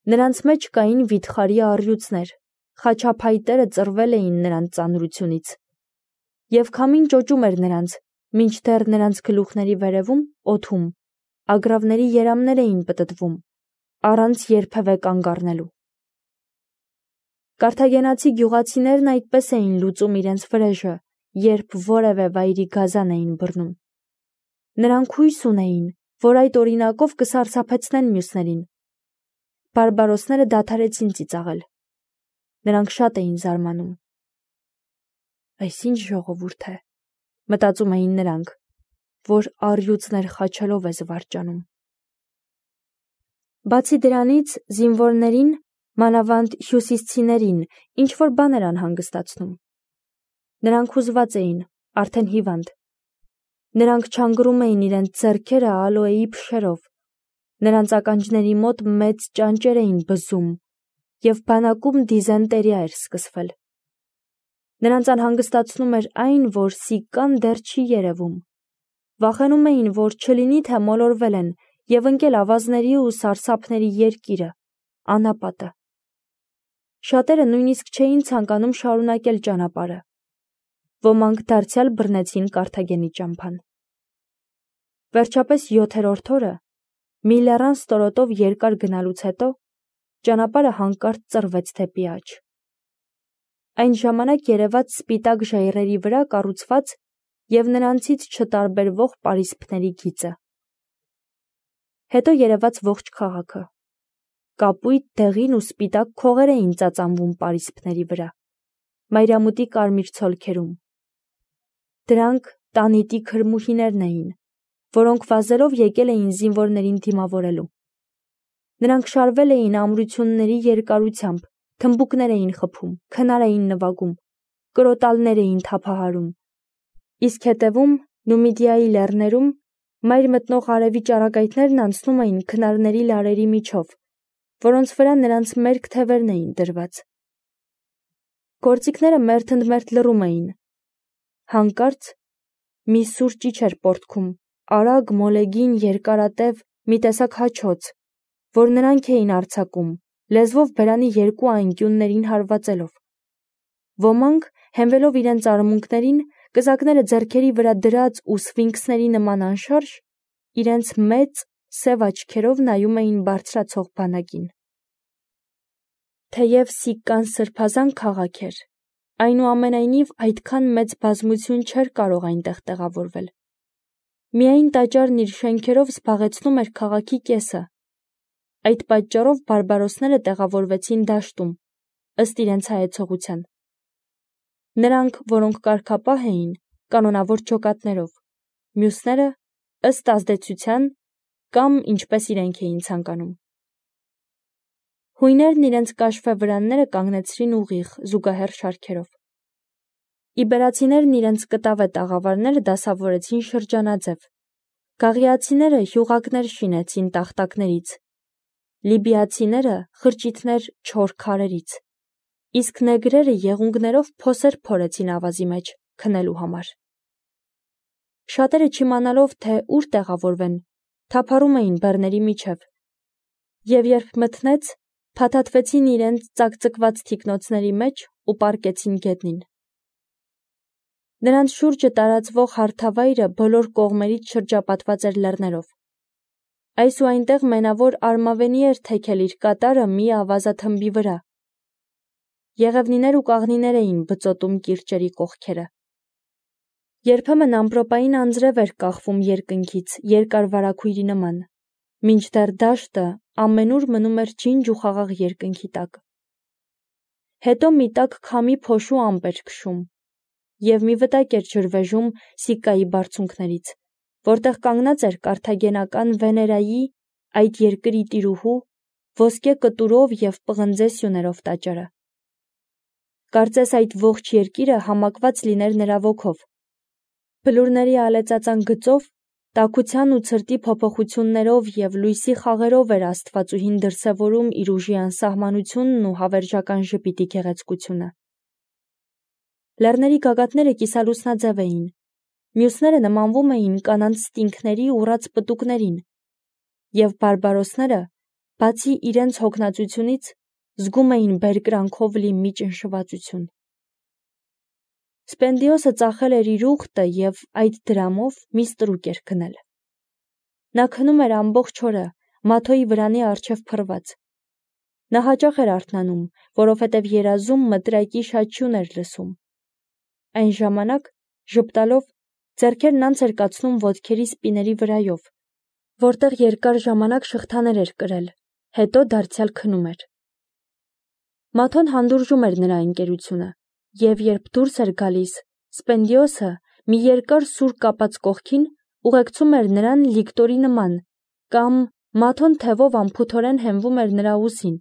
Նրանց մեջ կային վիթխարի առյուծներ, խաչափայտերը ծռվել էին նրանց ծանրությունից։ Եվ քամին ճոճում էր նրանց, մինչդեռ նրանց գլուխների վերևում, օդում, ագռավների երամներ էին պտտվում, առանց երբևէ կանգ առնելու։ Կարթագենացի գյուղացիներն այդպես էին լուծում իրենց վրեժը, երբ որևէ վայրի գազան էին բռնում։ Նրանք հույս ունեին, որ այդ օրինակով կսարսափեցնեն մյուսներին։ Բարբարոսները դադարեցին ծիծաղել։ Նրանք շատ էին զարմանում։ Այս ինչ ժողովուրդ է, մտածում էին նրանք, որ առյուծներ խաչելով է զվարճանում։ Բացի դրանից, զինվորներին, մանավանդ հյուսիսցիներին, ինչ-որ բան էր անհանգստացնում։ Նրանք հուզված էին, արդեն հիվանդ։ Նրանք չանգռում էին իրենց ձեռքերը ալոեի փշերով, նրանց ականջների մոտ մեծ ճանճեր էին բզում, և բանակում դիզենտերիա էր սկսվել։ Նրանց անհանգստացնում էր այն, որ սիկկան դեռ չի երևում։ Վախենում էին, որ չլինի թե մոլորվել են և ընկել ավազների ու սարսափների երկիրը, անապատը։ Շատերը նույնիսկ չէին ցանկանում շարունակել ճանապարհը։ Ոմանք դարձյալ բռնեցին Կարթագենի ճամփան։ Վերջապես 7-րդ օրը, մի լեռան ստորոտով երկար գնալուց հետո, ճանապարհը հանկարծ ծռվեց դեպի աջ։ Այն ժամանակ երևաց սպիտակ ժայռերի վրա կառուցված և նրանցից չտարբերվող պարիսպների գիծը։ Հետո երևաց ողջ քաղաքը։ Կապույտ, դեղին ու սպիտակ քողեր էին ծածանվում պարիսպների վրա, մայրամուտի կարմիր ցոլքերում։ Դրանք տանիտի քրմուհիներն էին, որոնք վազելով եկել էին զինվորներին դիմավորելու։ Նրանք շարվել էին ամրությունների երկարությամբ, թմբուկներ էին խփում, քնար էին նվագում, կրոտալներ էին թափահարում։ Իսկ հետևում, Նումիդիայի լեռներում, մայր մտնող արևի ճառագայթներն անցնում էին քնարների լարերի միջով, որոնց վրա նրանց մերկ թևերն էին դրված։ Գործիքները մերթընդմերթ լռում էին։ Հանկարծ մի սուր ճիչ էր պոռթկում, արագ, մոլեգին, երկարատև, մի տեսակ հաչոց, որ նրանք էին արձակում, լեզվով բերանի երկու անկյուններին հարվածելով։ Ոմանք, հենվելով իրենց արմունկներին, կզակները ձեռքերի վրա դրած ու սֆինքսների նման անշարժ, իրենց մեծ, սև աչքերով նայում էին բարձրացող բանակին։ Թեև Սիկկան սրբազան քաղաք էր, այնուամենայնիվ այդքան մեծ բազմություն չէր կարող այնտեղ տեղավորվել։ Միայն տաճարն իր շենքերով զբաղեցնում էր քաղաքի կեսը։ Այդ պատճառով բարբարոսները տեղավորվեցին դաշտում, ըստ իրենց հայեցողության։ Նրանք, որոնք կարգապահ էին, կանոնավոր ջոկատներով, մյուսները, ըստ ազդեցության կամ ինչպես իրենք էին ցանկանում։ Հույներն իրենց կաշվե վրանները կանգնեցրին ուղիղ, զուգահեռ շարքերով։ Իբերացիներն իրենց կտավե տաղավարները դասավորեցին շրջանաձև։ Գաղիացիները հյուղակներ շինեցին տախտակներից, լիբիացիները խրճիթներ չոր քարերից, իսկ նեգրերը եղունգներով փոսեր փորեցին ավազի մեջ քնելու համար։ Շատերը չիմանալով, թե ուր տեղավորվեն, թափառում էին բեռների միջև, և երբ մթնեց, փաթաթվեցին իրենց ծակծկված թիկնոցների մեջ ու պառկեցին գետնին։ Նրանց շուրջը տարածվող հարթավայրը բոլոր կողմերից շրջապատված էր լեռներով։ Այս ու այնտեղ մենավոր արմավենի էր թեքել իր կատարը մի ավազաթմբի վրա։ Եղևնիներ ու կաղնիներ էին բծոտում կիրճերի կողքերը։ Երբեմն ամպրոպային անձրև էր կախվում երկնքից երկար վարագույրի նման, մինչդեռ դաշտը ամենուր մնում էր ջինջ ու խաղաղ երկնքի տակ։ Հետո մի տաք քամի փոշու ամպ էր քշում, և մի վտակ էր ջրվեժում Սիկկայի բարձունքներից, որտեղ կանգնած էր կարթագենական Վեներայի, այդ երկրի տիրուհու, ոսկե կտուրով և պղնձե սյուներով տաճարը։ Կարծես այդ ողջ երկիրը համակված լիներ նրա ոգով։ Բլուրների ալեծածան գծով, տաքության ու ցրտի փոփոխություններով և լույսի խաղերով էր աստվածուհին դրսևորում իր ուժի անսահմանությունն ու հավերժական ժպիտի գեղեցկությունը։ Լեռների գագաթները կիսալուսնաձև էին, մյուսները նմանվում էին կանանց ստինքների ուռած պտուկներին, և բարբարոսները, բացի իրենց հոգնածությունից, զգում էին բերկրանքով լի մի ճնշվածություն։ Սպենդիոսը ծախել էր իր ուխտը և այդ դրամով մի ստրուկ էր քնել։ Նա քնում էր ամբողջ օրը, Մաթոյի վրանի առջև փռված։ Նա հաճախ էր արթնանում, որովհետև երազում մտրայկի շաչյուն էր լսում։ Այն ժամանակ, ժպտալով, ձեռքերն անց էր կացնում ոտքերի սպիների վրայով, որտեղ երկար ժամանակ շղթաներ էր կրել, հետո դարձյալ քնում էր։ Մաթոն հանդուրժում էր նրա ընկերությունը, և երբ դուրս էր գալիս, Սպենդիոսը մի երկար սուր կապած կողքին ուղեկցում էր նրան լիկտորի նման, կամ Մաթոն թևով անփութորեն հենվում էր նրա ուսին,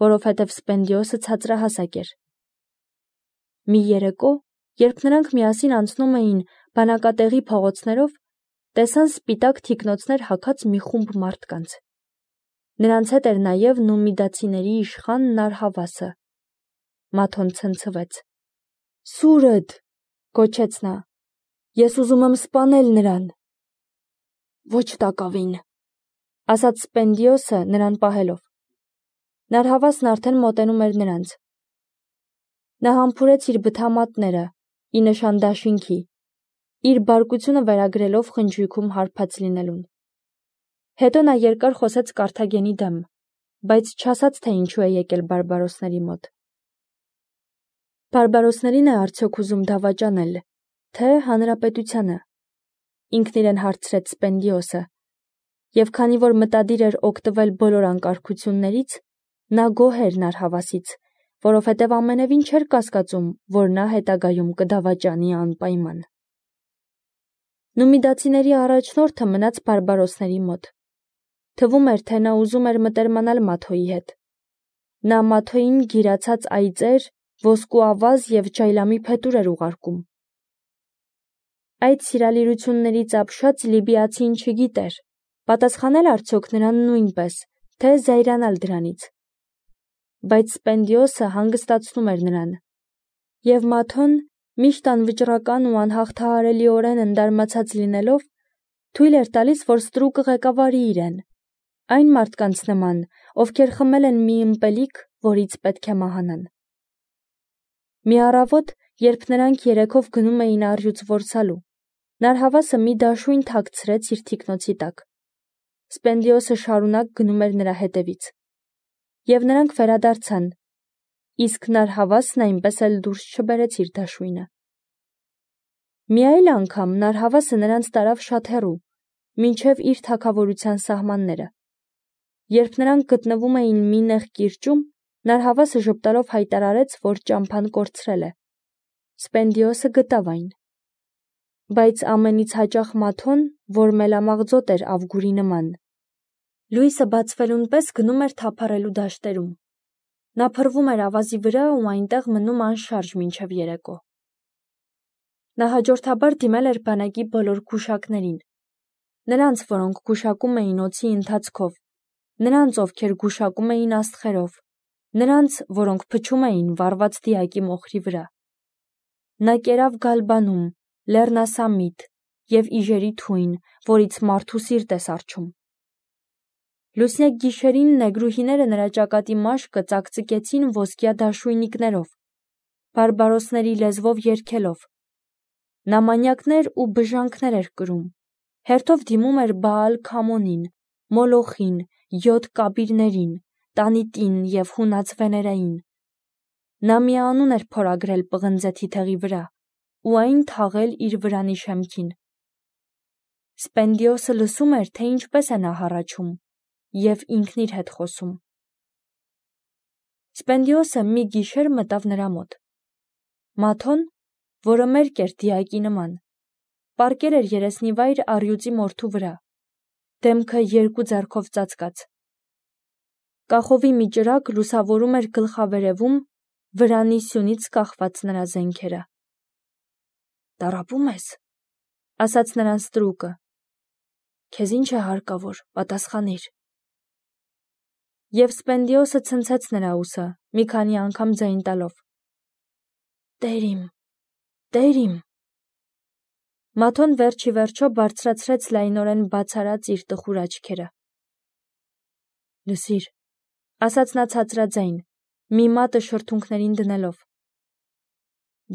որովհետև Սպենդիոսը ցածրահասակ էր։ Մի երեկո, երբ նրանք միասին անցնում էին բանակատեղի փողոցներով, տեսան սպիտակ թիկնոցներ հագած մի խումբ մարդկանց։ Նրանց հետ էր նաև նումիդացիների իշխան Նարհավասը։ Մաթոն ցնցվեց։ «Սուրդ», գոչեց նա, «ես ուզում եմ սպանել նրան»։ «Ոչ տակավին», ասաց Սպենդիոսը նրան պահելով։ Նարհավասն արդեն մոտենում էր նրանց։ Նա համբուրեց իր բթամատները, ի նշան դաշինքի, իր բարկությունը վերագրելով խնջույքում հարբած լինելուն։ Հետո նա երկար խոսեց Կարթագենի դեմ, բայց չասաց, թե ինչու է եկել բարբարոսների մոտ։ Բարբարոսներին է արդյոք ուզում դավաճանել, թե հանրապետությանը, ինքն իրեն հարցրեց Սպենդիոսը, և քանի որ մտադիր էր օգտվել բոլոր անկարգություններից, նա գոհ էր Նարհավասից, որովհետև ամենևին չէր կասկածում, որ նա հետագայում կդավաճանի անպայման։ Նումիդացիների առաջնորդը մնաց բարբարոսների մոտ։ Թվում էր, թե նա ուզում էր մտերմանալ Մաթոյի հետ։ Նա Մաթոյին գիրացած այծեր, ոսկու ավազ և ջայլամի փետուր էր ուղարկում։ Այդ սիրալիրություններից ապշած լիբիացին չգիտեր, պատասխանել արդյոք նրան նույնպես, թե զայրանալ դրանից։ Բայց Սպենդիոսը հանգստացնում էր նրան, և Մաթոն, միշտ անվճռական ու անհաղթահարելիորեն ընդարմացած լինելով, թույլ էր տալիս, որ ստրուկը ղեկավարի իրեն, այն մարդկանց նման, ովքեր խմել են մի ըմպելիք, որից պետք է մահանան։ Մի առավոտ, երբ նրանք երեքով գնում էին առյուծ որսալու, Նարհավասը մի դաշույն թաքցրեց իր թիկնոցի տակ։ Սպենդիոսը շարունակ գնում էր նրա հետևից։ Եվ նրանք վերադարձան, իսկ Նարհավասն այնպես էլ դուրս չբերեց իր դաշույնը։ Մի այլ անգամ Նարհավասը նրանց տարավ շատ հեռու, մինչև իր թագավորության սահմանները։ Երբ նրանք գտնվում էին մի նեղ կիրճում, Նարհավասը ժպտալով հայտարարեց, որ ճամփան կորցրել է։ Սպենդիոսը գտավ այն։ Բայց ամենից հաճախ Մաթոն, որ մելամաղձոտ էր Ավգուրի նման, լույսը բացվելուն պես գնում էր թափառելու դաշտերում։ Նա փռվում էր ավազի վրա ու այնտեղ մնում անշարժ մինչև երեկո։ Նա հաջորդաբար դիմել էր բանակի բոլոր գուշակներին։ Նրանց, որոնք գուշակում էին օդի ընթացքով, նրանց, ովքեր գուշակում էին աստղերով, նրանց, որոնք փչում էին վառված դիակի մոխրի վրա։ Նա կերավ Գալբանում, Լեռնասամիտ և Իժերի թույն, որից մարդու սիրտ է սառչում։ Լուսնյակ գիշերին նեգրուհիները նրա ճակատի մաշկը ծակծկեցին ոսկյա դաշույնիկներով, բարբարոսների լեզվով երգելով։ Նա մանյակներ ու բժանքներ էր կրում, հերթով դիմում էր Բաալ Քամոնին, Մոլոխին, յոթ կաբիրներին, Տանիտին և հունած Վեներային։ Նա մի անուն էր փորագրել պղնձե թիթեղի վրա ու այն թաղել իր վրանի շեմքին։ Սպենդիոսը լսում էր, թե ինչպես է նա հառաչում, և ինքն իր հետ խոսում։ Սպենդիոսը մի գիշեր մտավ նրա մոտ։ Մաթոն, որը մերկ էր դիակի նման, պառկել էր երեսնիվայր առյուծի մորթու վրա, դեմքը երկու ձեռքով ծածկած։ Կախովի մի ճրագ լուսավորում էր գլխավերևում վրանի սյունից կախված նրա զենքերը։ «Տառապում ես», ասաց նրան ստրուկը։ «Քեզ ինչ է հարկավոր, պատասխանիր»։ Եվ Սպենդիոսը ցնցեց նրա ուսը, մի քանի անգամ ձայն տալով։ «Տեր իմ, Տեր իմ»։ Մաթոն վերջ ի վերջո բարձրացրեց լայնորեն բաց արած իր տխուր աչքերը։ Լսիր, ասաց նա ցածրաձայն, մի մատը շրթունքներին դնելով.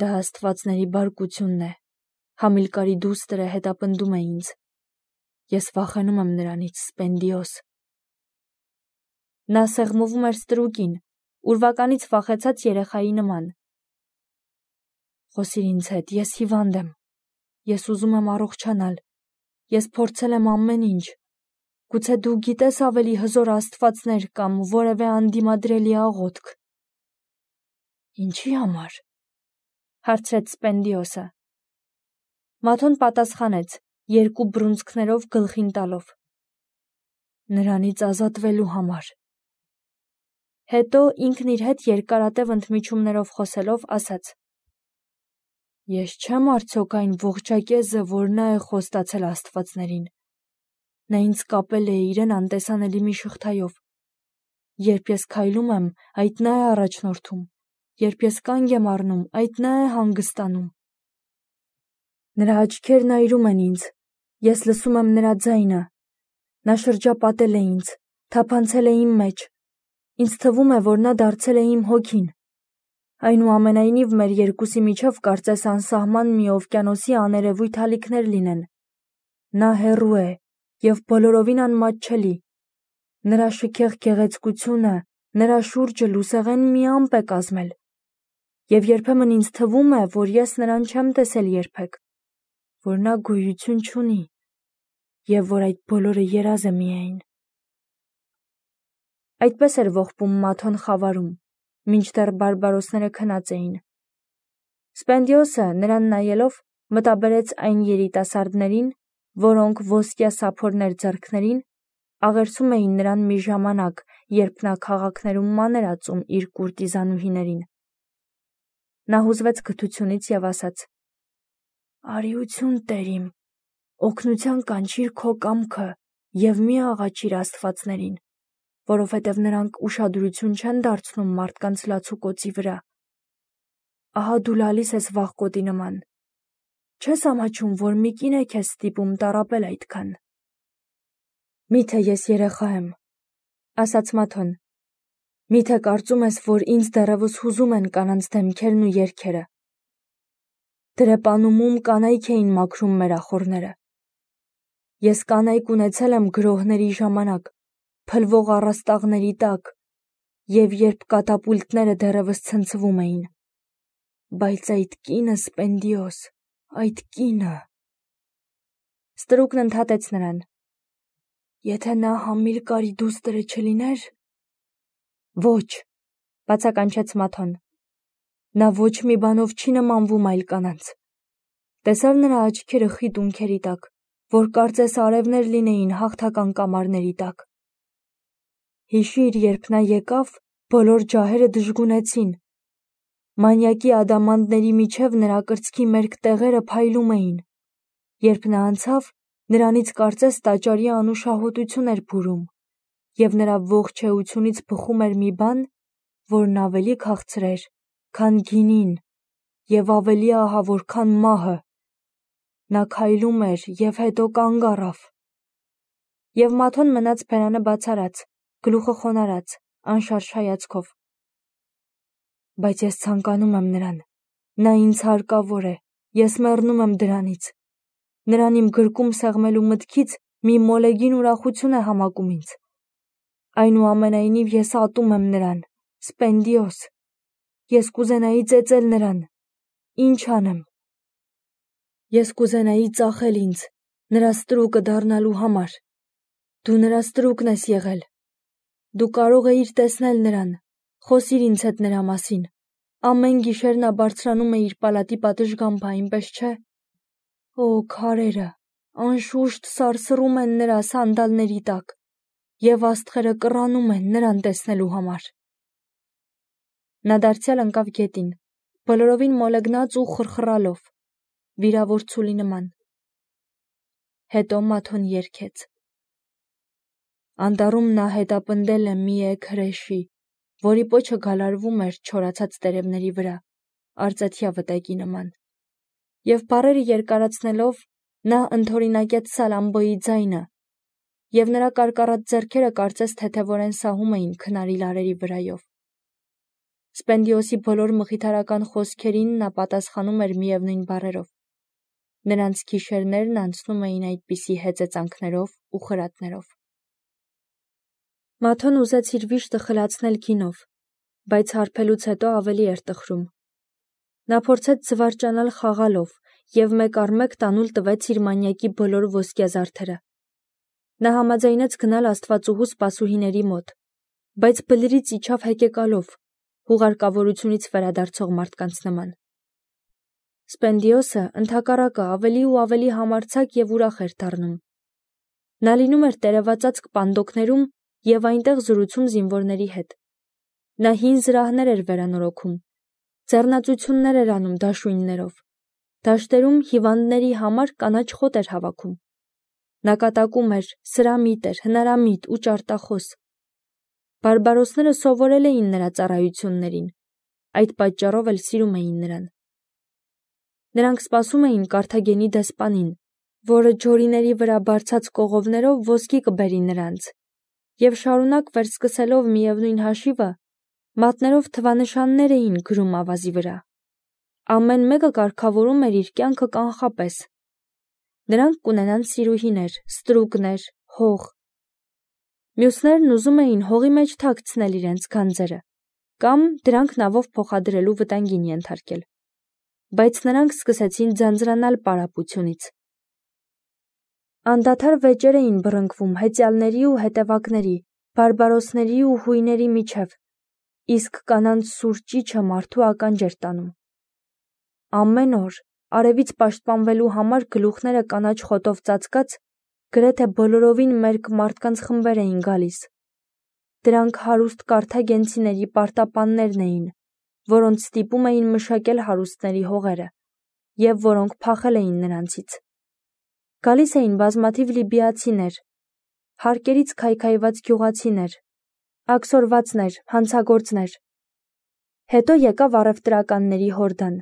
դա աստվածների բարկությունն է, Համիլկարի դուստրը հետապնդում է ինձ, ես վախենում եմ նրանից, Սպենդիոս։ Նա սեղմում էր ստրուկին, ուրվականից վախեցած երեխայի նման։ Խոսիր ինձ հետ, ես հիվանդ եմ, ես ուզում եմ առողջանալ, ես փորձել եմ ամեն ինչ, գուցե դու գիտես ավելի հզոր աստվածներ կամ որևէ անդիմադրելի աղոթք։ Ինչի համար, հարցրեց Սպենդիոսը։ Մաթոն պատասխանեց, երկու բռունցքներով գլխին տալով. նրանից ազատվելու համար։ Հետո ինքն իր հետ երկարատև ընդմիջումներով խոսելով ասաց. ես չեմ արդյոք այն ողջակեզը, որ նա է խոստացել աստվածներին։ Նա ինձ կապել է իրեն անտեսանելի մի շղթայով։ Երբ ես քայլում եմ, այդ նա է առաջնորդում, երբ ես կանգ եմ առնում, այդ նա է հանգստանում։ Նրա աչքերն այրում են ինձ, ես լսում եմ նրա ձայնը։ Նա շրջապատել է ինձ, թափանցել է իմ մեջ։ Ինձ թվում է, որ նա դարձել է իմ հոգին։ Այնուամենայնիվ մեր երկուսի միջև կարծես անսահման մի օվկիանոսի աներևույթ ալիքներ լինեն։ Նա հեռու է և բոլորովին անմատչելի։ Նրա շքեղ գեղեցկությունը, նրա շուրջը լուսեղեն մի ամպ է կազմել։ Եվ երբեմն ինձ թվում է, որ ես նրան չեմ տեսել երբեք, որ նա գոյություն չունի, և որ այդ բոլորը երազ է միայն։ Այդպես էր ողբում Մաթոն խավարում, մինչդեռ բարբարոսները քնած էին։ Սպենդիոսը, նրան նայելով, մտաբերեց այն երիտասարդներին, որոնք ոսկյա սափորներ ձեռքներին աղերսում էին նրան մի ժամանակ, երբ նա քաղաքներում ման էր ածում իր կուրտիզանուհիներին։ Նա հուզվեց գթությունից և ասաց. «Արիություն, Տեր իմ, օգնության կանչիր քո կամքը և մի աղաչիր աստվածներին, որովհետև նրանք ուշադրություն չեն դարձնում մարդկանց լացուկոցի վրա։ Ահա դու լալիս ես վախկոտի նման։ Չես ամաչում, որ մի կին է քեզ ստիպում տառապել այդքան»։ Միթե ես երեխա եմ, ասաց Մաթոն։ Միթե կարծում ես, որ ինձ դեռևս հուզում են կանանց դեմքերն ու երգերը։ Դրեպանումում կանայք էին մաքրում մեր ախոռները։ Ես կանայք ունեցել եմ գրոհների ժամանակ, փլվող առաստաղների տակ, և երբ կատապուլտները դեռևս ցնցվում էին։ Բայց այդ կինը, Սպենդիոս, այդ կինը… Ստրուկն ընդհատեց նրան. Եթե նա Համիլկարի դուստրը չլիներ… Ոչ, բացականչեց Մաթոն։ Նա ոչ մի բանով չի նմանվում այլ կանանց։ Տեսա՞ր նրա աչքերը խիտ ունքերի տակ, որ կարծես արևներ լինեին հաղթական կամարների տակ։ Հիշիր, երբ նա եկավ, բոլոր ջահերը դժգունեցին։ Մանյակի ադամանդների միջև նրա կրծքի մերկ տեղերը փայլում էին։ Երբ նա անցավ, նրանից կարծես տաճարի անուշահոտություն էր բուրում, և նրա ողջ էությունից բխում էր մի բան, որն ավելի քաղցր էր, քան գինին, և ավելի ահավոր, քան մահը։ Նա քայլում էր և հետո կանգ առավ։ Եվ Մաթոն մնաց բերանը բացառած, գլուխը խոնարհած, անշարժ հայացքով։ Բայց ես ցանկանում եմ նրան։ Նա ինձ հարկավոր է, ես մեռնում եմ դրանից։ Նրան իմ գրկում սեղմելու մտքից մի մոլեգին ուրախություն է համակում ինձ։ Այնուամենայնիվ ես ատում եմ նրան, Սպենդիոս։ Ես կուզենայի ծեծել նրան։ Ինչ անեմ։ Ես կուզենայի ծախել ինձ, նրա ստրուկը դառնալու համար։ Դու նրա ստրուկն ես եղել։ Դու կարող էիր տեսնել նրան, խոսիր ինձ հետ նրա մասին։ Ամեն գիշեր նա բարձրանում է իր պալատի պատշգամբը, այնպես չէ՞։ Օ, քարերը, անշուշտ սարսռում են նրա սանդալների տակ, և աստղերը կռանում են նրան տեսնելու համար։ Նա դարձյալ ընկավ գետին, բոլորովին մոլեգնած ու խռխռալով, վիրավոր ցուլի նման։ Հետո Մաթոն երգեց. Անտառում նա հետապնդել է մի էգ հրեշի, որի պոչը գալարվում էր չորացած տերևների վրա, արծաթյա վտակի նման։ Եվ բառերը երկարացնելով, նա ընդօրինակեց Սալամբոյի ձայնը, և նրա կարկառած ձեռքերը կարծես թեթևորեն սահում էին քնարի լարերի վրայով։ Սպենդիոսի բոլոր մխիթարական խոսքերին նա պատասխանում էր միևնույն բառերով։ Նրանց գիշերներն անցնում էին այդպիսի հեծեծանքներով ու խրատներով։ Մաթոն ուզեց իր վիշտը խլացնել գինով, բայց հարբելուց հետո ավելի էր տխրում։ Նա փորձեց զվարճանալ խաղալով և մեկ առ մեկ տանուլ տվեց իր մանյակի բոլոր ոսկեզարդերը։ Նա համաձայնեց գնալ աստվածուհու սպասուհիների մոտ, բայց բլրից իջավ հեկեկալով, հուղարկավորությունից վերադարձող մարդկանց նման։ Սպենդիոսը ընդհակառակը ավելի ու ավելի համարձակ և ուրախ էր դառնում։ Նա լինում էր տերևածածկ պանդոկներում և այնտեղ զրուցում զինվորների հետ։ Նա հին զրահներ էր վերանորոգում, ձեռնածություններ էր անում դաշույններով, դաշտերում հիվանդների համար կանաչ խոտ էր հավաքում։ Նա կատակում էր, սրամիտ էր, հնարամիտ ու ճարտախոս։ Բարբարոսները սովորել էին նրա ծառայություններին, այդ պատճառով էլ սիրում էին նրան։ Նրանք սպասում էին Կարթագենի դեսպանին, որը ջորիների վրա բարձած կողովներով ոսկի կբերի նրանց, և շարունակ վերսկսելով միևնույն հաշիվը, մատներով թվանշաններ էին գրում ավազի վրա։ Ամեն մեկը կարգավորում էր իր կյանքը կանխապես։ Նրանք կունենան սիրուհիներ, ստրուկներ, հող։ Մյուսներն ուզում էին հողի մեջ թաքցնել իրենց գանձերը կամ դրանք նավով փոխադրելու վտանգին ենթարկել, բայց նրանք սկսեցին ձանձրանալ պարապությունից։ Անդադար վեճեր էին բռնկվում հեծյալների ու հետևակների, բարբարոսների ու հույների միջև, իսկ կանանց սուր ճիչը մարդու ականջ էր տանում։ Ամեն օր, արևից պաշտպանվելու համար գլուխները կանաչ խոտով ծածկած, գրեթե բոլորովին մերկ մարդկանց խմբեր էին գալիս։ Դրանք հարուստ կարթագենցիների պարտապաններն էին, որոնց ստիպում էին մշակել հարուստների հողերը, և որոնք փախել էին նրանցից։ Գալիս էին բազմաթիվ լիբիացիներ, հարկերից քայքայված գյուղացիներ, աքսորվածներ, հանցագործներ։ Հետո եկավ առևտրականների հորդան,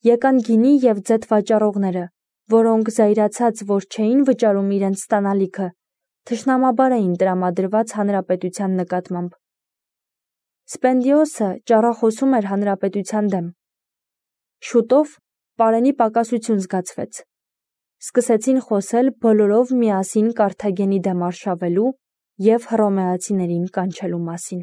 եկան գինի և ձեթ վաճառողները, որոնք զայրացած, որ չէին վճարում իրենց ստանալիքը, թշնամաբար էին տրամադրված հանրապետության նկատմամբ։ Սպենդիոսը ճառախոսում էր հանրապետության դեմ։ Շուտով պարենի պակասություն զգացվեց։ Սկսեցին խոսել բոլորով միասին Կարթագենի դեմ արշավելու և հռոմեացիներին կանչելու մասին։